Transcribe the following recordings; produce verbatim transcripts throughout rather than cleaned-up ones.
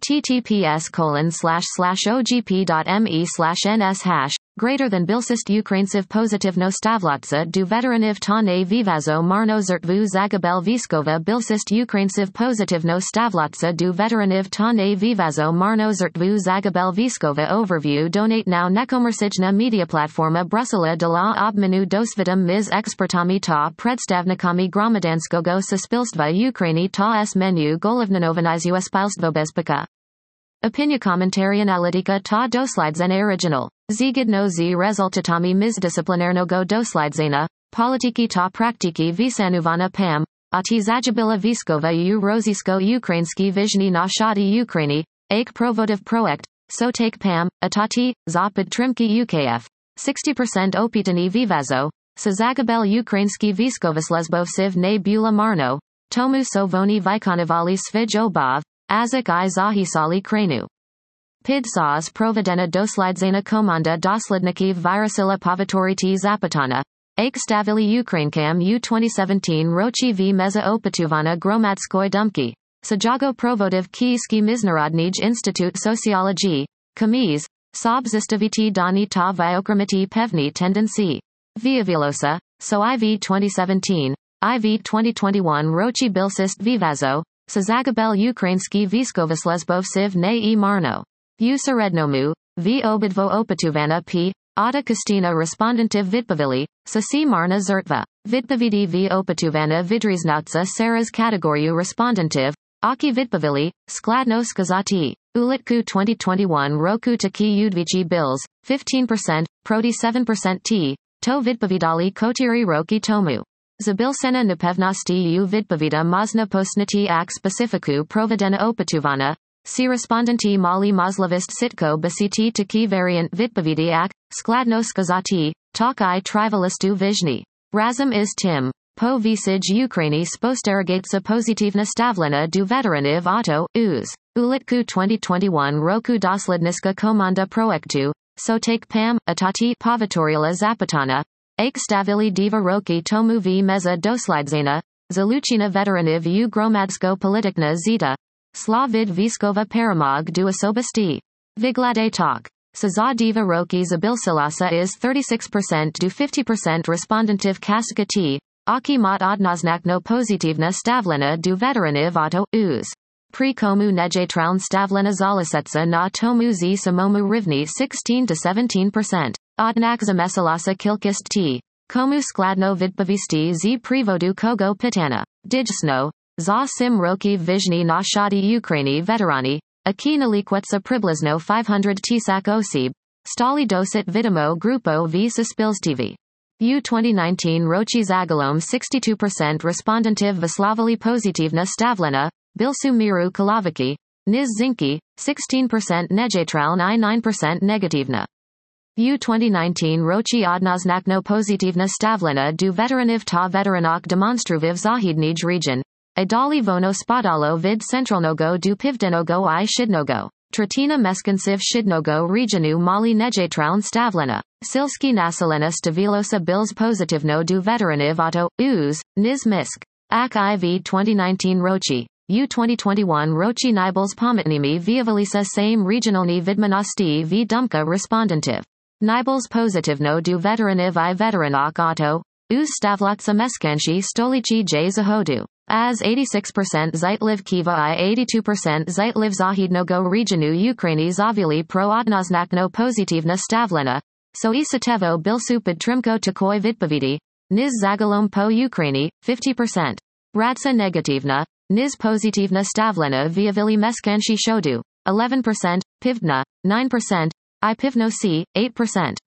https colon slash slash ogp.me slash ns hash, greater than Bilsist Ukrainciv pozitivno stavlatsa du veteraniv ta ne vivazo marno zertvu zagabel viskova Bilsist Ukrainciv pozitivno stavlatsa du veteraniv ta ne vivazo marno zertvu zagabel viskova overview. Donate now. Nekomersijna media platforma Brusela de la obmenu dosvidom mis expertami ta predstavnikami gromadanskogo suspilstva Ukraini ta s menu golovnanovanizu spilstvo bezpeka. Opinia commentary analitika ta doslidzena original. Zgodno z rezultatami mizdisciplinarnego doslidzena, politiki ta praktiki visanuvana pam, a ti zajabila viskova u rozisko ukrainski vizhni na shadi Ukraini, ake provotiv projekt, so take pam, atati, za podtrimki U K F. sixty percent opitani vivazo, sa zagabel ukrainski viskovislesbovsiv ne bula marno, tomu so voni vikonivali svij obov, azik I zahisali krenu. Pid saz provedena doslidzena komanda doslednikiv virusila povatoriti zapatana, ake stavili Ukrainkam U twenty seventeen rochi v meza opatuvana gromadskoy dumki, sajago provotiv kiyski miznarodnij Institute Sociology, Kamiz, sobzistaviti dani ta viokramiti pevni tendency. Viavilosa, so I V twenty seventeen, I V twenty twenty-one rochi bilsist vivazo, sa zagabel Ukrainski viskovislesbovsiv ne I marno. U serednomu, v obidvo opatuvana p, Ada Kristina respondentiv vidpavili, sa si marna zertva. Vidpavidi v opatuvana vidriznatsa Saras kategoriu respondentiv, aki vidpavili, skladno skazati. Ulitku twenty twenty-one roku taki udvici bills, fifteen percent, proti seven percent t, to vidpavidali kotiri roki tomu. Zabilsena napevnosti u vidpavida mazna postnati ak specifiku provedena opatuvana, si respondenti mali mazlavist sitko basiti taki variant vidpavidi ak, skladno skazati, tak I trivalistu vizhni. Razum is tim. Po visij Ukraini spostergatsa pozitivna stavlena du veteraniv auto, uz. Ulitku twenty twenty-one roku dosledniska komanda projektu, so take pam, atati povatorila zapatana, ake stavili diva roki tomu v meza doslidzena, zaluchina veteraniv u gromadsko politikna zita, slavid viskova paramog du osobasti. Viglade talk. Sa diva roki zabilsilasa is thirty-six percent do fifty percent respondentiv kaska t, aki mat odnoznakno pozitivna stavlena du veteraniv auto, uz. Pri komu nejetraun stavlena zalisetsa na tomu z samomu rivni sixteen to seventeen percent. Odnak zamesalasa kilkist t. Komu skladno vidpavisti z privodu kogo pitana. Dijsno. Za sim roki vizhni na shadi Ukraini veterani. Aki nalikwetsa priblizno five hundred tisak osib. Stali dosit vidimo grupo v suspilstv. U twenty nineteen rochi zagalom sixty-two percent respondentiv vislavali pozitivna stavlena, bilsu miru kalaviki, niz zinki, sixteen percent nejetraun I nine percent negativna. U twenty nineteen rochi odnoznakno pozitivna stavlena du veteraniv ta veteranok demonstruviv zahidnij region, a dali vono spadalo vid centralnogo du pivdenogo I shidnogo. Tratina meskansiv shidnogo regionu mali nejetraun stavlena. Silski nasalena stavilosa bills pozitivno du veteraniv auto, uz, niz misk. Ak I V twenty nineteen rochi. U twenty twenty-one rochi nibels pomitnimi viavalisa same regionalni vidmanosti v dumka respondentiv. Nibels pozitivno du veteraniv I veteranok auto, uz stavlatsa meskanshi stolichi j zahodu. As eighty-six percent Zitliv Kiva I eighty-two percent Zitliv Zahidnogo regionu Ukraini zavili pro odnoznakno pozitivna stavlena, so isatevo bilsu podtrimko takoi vidpavidi, niz zagalom po Ukraini, fifty percent. Radsa negativna, niz pozitivna stavlena viavili meskanshi shodu, eleven percent, pivdna, nine percent, I pivnosi, eight percent.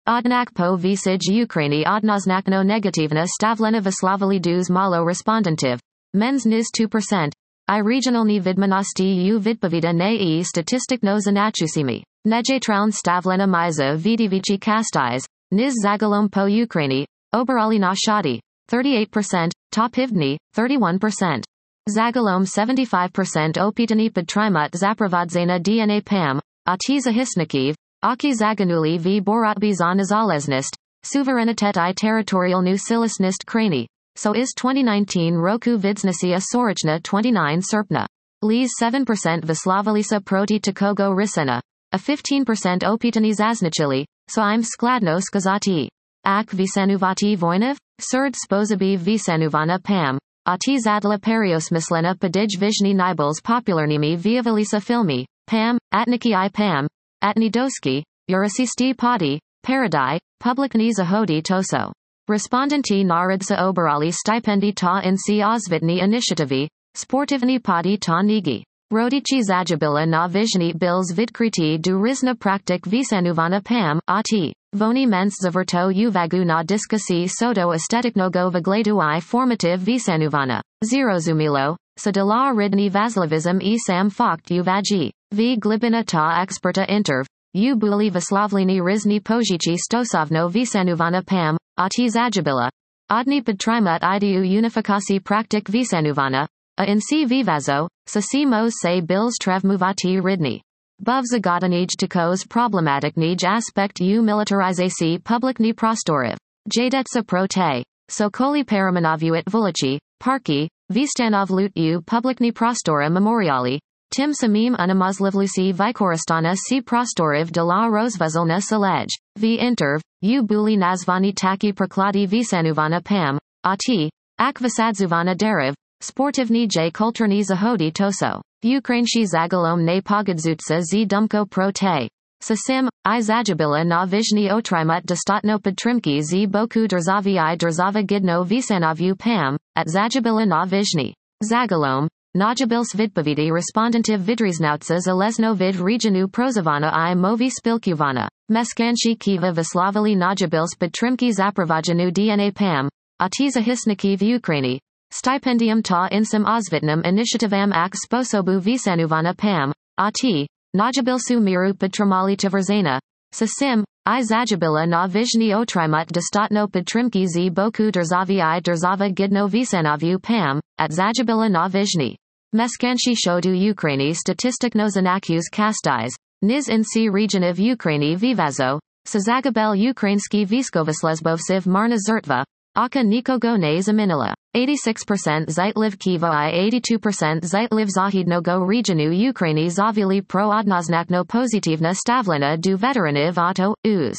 Odnak po visij Ukraini odnoznakno negativna stavlena vislavili dus malo respondentiv, mens niz two percent, I regionalni vidmanosti u vidpavida ne I statistikno zanachusimi. Nejetraun stavlena miza vidivici kastais, niz zagalom po Ukraini, oberali na shadi, thirty-eight percent, ta pivdni, thirty-one percent. Zagalom seventy-five percent opitani podtrimut zapravadzena D N A pam, atiza hisnikiv, aki zaganuli v boratbi za nezaleznist, suverenitet I territorialnu silisnist krani, so is twenty nineteen roku vidsnasi a sorochna twenty-nine serpna. Lis seven percent Vyslovalisa proti Takogo Rysena. A fifteen percent opitani zaznačili, so I'm skladno skazati. Ak vysanuvati voinov? Surd sposoby vysanuvana pam. A ti zadla periosmislena podij vizhny nibals popularnimi vyjavalisa filmy, pam, atniki I pam, atni doski, urasisti padi, paradai, publikni zahodi toso. Respondenty narodsa oberali stipendi ta in si ozvitni initiativi, sportivni padi ta nigi. Rodici zajabila na vizhny bills vidkriti du rizna praktik vysanuvana pam, a ti. Voni mens zavrto uvagu na diskusi sodo estetiknogo vagledu I formative vysanuvana. Zero zumilo, sa de la ridni vaslivism I sam fakt uvaji. V glibina ta experta interv. U buli vyslavlini rizni pojici stosovno vysanuvana pam, a ti zajabila. Odni podtrimut idu unifikasi praktik vysanuvana. A in si vivazo, sa si mos se bills trevmuvati ridni. Buv zagadanij takos problematiknij aspekt u militarizaci publikni prostoriv. Jadetsa pro te. So koli paramanavuit vulici, parki, vistanov lut u publikni prostora memoriali. Tim samim unamazlivlusi vikoristana si prostoriv de la rozvazilna salej. V interv, u buli nazvani taki prokladi vysanuvana pam, a ti, ak vysadzuvana deriv. Sportivni j kulturni zahodi toso. Ukrainshi zagalom ne pogadzutsa z dumko pro te. Sasim, I zajabila na vizhny otrimut dostatno podtrimki z boku drzavi I drzava gidno vysanavu pam, at zajabila na vizhny. Zagalom, najabils vidpovidi respondentiv vidriznautsa zalezno vid regionu prozavana I movi spilkuvana. Meskanshi kiva vyslavili najabils podtrimki zapravajanu dna pam, a ti zahisniki v Ukraini. Stipendium ta insam ozvitnam initiativam ak sposobu vysanuvana pam, a ti, najabilsu miru podtrimali tverzena. Sasim, I zajabila na vizhny otrimut dostatno podtrimki z boku drzavi I drzava gidno vysanavu pam, at zajabila na vizhny. Meskanshi shodu Ukraini statistikno zanakus kastais, niz in si regioniv Ukraini vivazo, sa zagabel Ukrainski viskovislesbovsiv marna zertva, aka nikogo ne zaminila. eighty-six percent Zitliv Kiva I eighty-two percent Zitliv Zahidnogo regionu Ukraini zavili pro odnoznakno pozitivna stavlena du veteraniv auto, uz.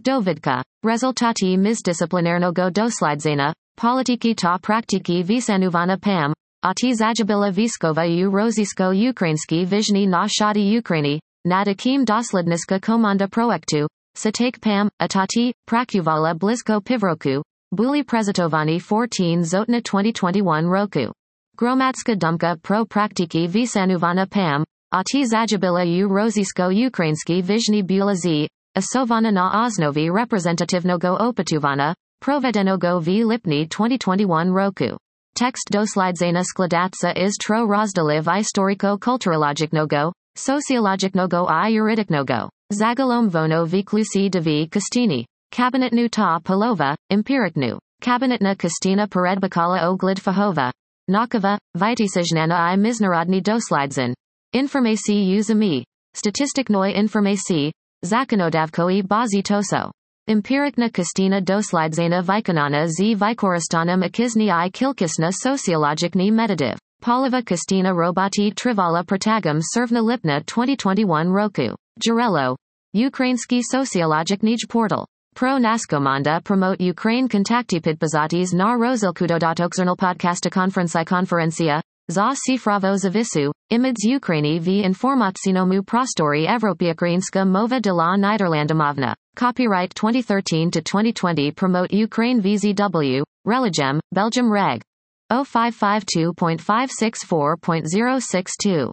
Dovidka. Rezultati mizdisciplinarnogo doslidzena, politiki ta praktiki vysanuvana pam, a ti zajabila viskova u rozisko Ukrainski vizhny na shadi Ukraini, nadakim dosledniska komanda proektu, satek pam, atati, prakuvala blisko pivroku. Buli prezitovani fourteen Zotna twenty twenty-one roku. Gromadska dumka pro praktiki vysanuvana pam, a ti zajabila u rozisko Ukrainski vizhny bula z, asovana na osnovi reprezentativnogo opatuvana, provedenogo v lipni twenty twenty-one roku. Text doslidzena skladatsa is tro rozdaliv istoriko kulturologicnogo, sociologicnogo I juridicnogo. Zagalom vono viklusi dvi kastini. Kabinetnu ta polova, empiriknu. Kabinetna kastina peredbakala oglid fahova. Nakova, vitisajnana I miznarodni doslidzin. Informaci uzami. Statistiknoi informaci. Zakonodavkoi bazi toso. Empirikna kastina doslidzena vikanana z vikoristanam akizni I kilkisna sociologicni meditative. Poliva kastina robati trivala protagum servna lipna twenty twenty-one roku. Jarello. Ukrainski sociologicnij portal. Pro Naskomanda promote Ukraine kontakti podpozatis na rozilkudodatokzernal podcasta konferenci konferencia, za cifravo zavisu, imids Ukraini v informatsinomu prostori Evropiakrinska mova de la Niderlandomovna. Copyright twenty thirteen to twenty twenty promote Ukraine V Z W, Religem, Belgium Reg. zero five five two point five six four point zero six two.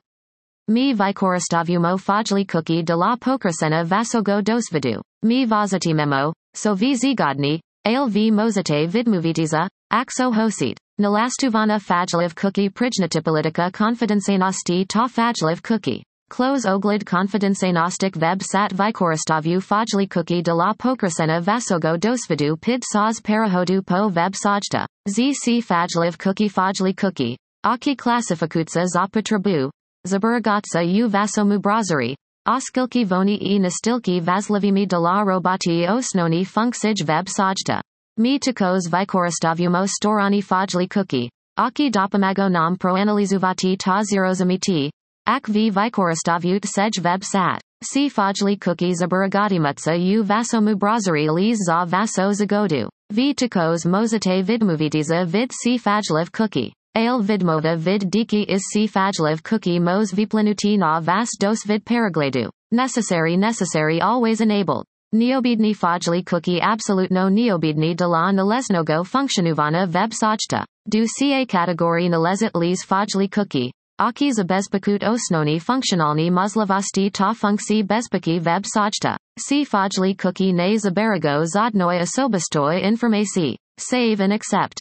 Mi vikoristavumo fajli cookie de la pokrasena vasogo dosvidu. Mi vazati memo, so v zigodni, ale v mozate vidmovitiza, axo hosit. Nalastuvana fajliv cookie prijnatipolitika konfidencenosti ta fajliv cookie. Close oglid konfidencenostic web sat vikoristavu fajli cookie de la pokrasena vasogo dosvidu pid saz parahodu po web sajta. Zc fajliv cookie fajli cookie. Aki klasifikutsa zapotrabu. Zaburagatsa u vasomu brazari. Oskilki voni e nastilki vaslivimi de la robati osnoni funksij web sajta. Mi takos vikoristavumo storani fajli cookie. Aki dopamago nam proanalizuvati ta zerozamiti. Ak v vikoristavut sej web sat. Si fajli cookie zaburagatimutsa u vasomu brazari liz za vaso zagodu. V tikos mozate vidmovitiza vid si fajliv cookie. Ale vidmova vid diki is si fajliv cookie mos viplanuti na vas dos vid paragledu. Necessary necessary always enabled. Neobidni fajli cookie absolutno neobidni de la naleznogo functionuvana web sajta. Du ca category nalezit liz fajli cookie. Aki za bezpakut osnoni funkcionalni mazlavasti ta funkci bezpaki web sajta. Si fajli cookie ne zabarago zadnoi osobistoi informasi. Save and accept.